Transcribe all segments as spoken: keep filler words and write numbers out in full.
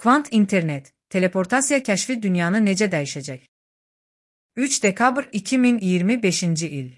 Kvant internet, teleportasiya kəşfi dünyanı necə dəyişəcək? üç dekabr iki min iyirmi beşinci il.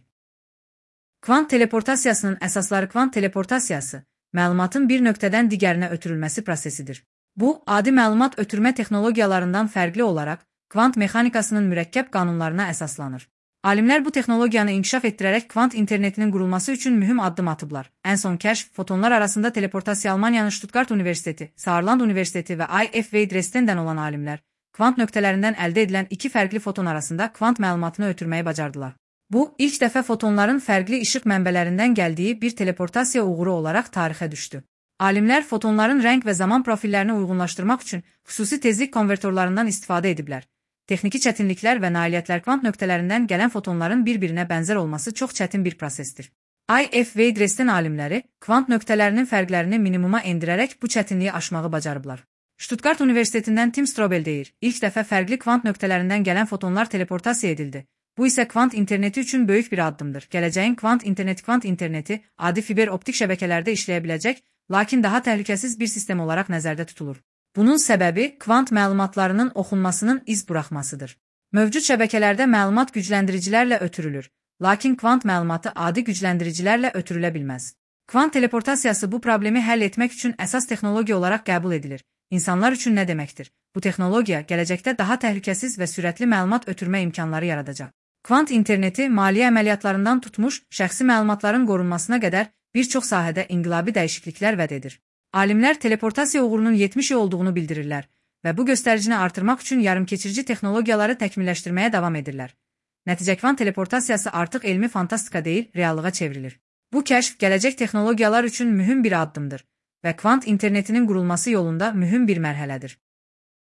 Kvant teleportasiyasının əsasları kvant teleportasiyası, məlumatın bir nöqtədən digərinə ötürülməsi prosesidir. Bu, adi məlumat ötürmə texnologiyalarından fərqli olaraq, kvant mexanikasının mürəkkəb qanunlarına əsaslanır. Alimlər bu texnologiyanı inkişaf etdirərək kvant internetinin qurulması üçün mühüm addım atıblar. Ən son kəşf, fotonlar arasında teleportasiya Almaniyanın Stuttgart Universiteti, Saarland Universiteti və I F V Dresden'dən olan alimlər, kvant nöqtələrindən əldə edilən iki fərqli foton arasında kvant məlumatını ötürməyi bacardılar. Bu, ilk dəfə fotonların fərqli işıq mənbələrindən gəldiyi bir teleportasiya uğuru olaraq tarixə düşdü. Alimlər fotonların rəng və zaman profillərini uyğunlaşdırmaq üçün xüsusi tezlik konvertorlarından istifadə ediblər. Texniki çətinliklər və nailiyyətlər kvant nöqtələrindən gələn fotonların bir-birinə bənzər olması çox çətin bir prosesdir. I F V Dresden alimləri kvant nöqtələrinin fərqlərini minimuma endirərək bu çətinliyi aşmağı bacarıblar. Stuttgart Universitetindən Tim Strobel deyir, ilk dəfə fərqli kvant nöqtələrindən gələn fotonlar teleportasiya edildi. Bu isə kvant interneti üçün böyük bir addımdır. Gələcəyin kvant interneti kvant interneti adi fiber optik şəbəkələrdə işləyə biləcək, lakin daha təhlükəsiz bir sistem olaraq nəzərdə tutulur. Bunun səbəbi kvant məlumatlarının oxunmasının iz buraxmasıdır. Mövcud şəbəkələrdə məlumat gücləndiricilərlə ötürülür, lakin kvant məlumatı adi gücləndiricilərlə ötürülə bilməz. Kvant teleportasiyası bu problemi həll etmək üçün əsas texnologiya olaraq qəbul edilir. İnsanlar üçün nə deməkdir? Bu texnologiya gələcəkdə daha təhlükəsiz və sürətli məlumat ötürmə imkanları yaradacaq. Kvant interneti maliyyə əməliyyatlarından tutmuş, şəxsi məlumatların qorunmasına qədər bir çox sahədə inqilabi dəyişikliklər vəd edir. Alimlər teleportasiya uğurunun yetmiş il olduğunu bildirirlər və bu göstəricini artırmaq üçün yarımkeçirici texnologiyaları təkmilləşdirməyə davam edirlər. Nəticə kvant teleportasiyası artıq elmi fantastika deyil, reallığa çevrilir. Bu kəşf gələcək texnologiyalar üçün mühüm bir addımdır və kvant internetinin qurulması yolunda mühüm bir mərhələdir.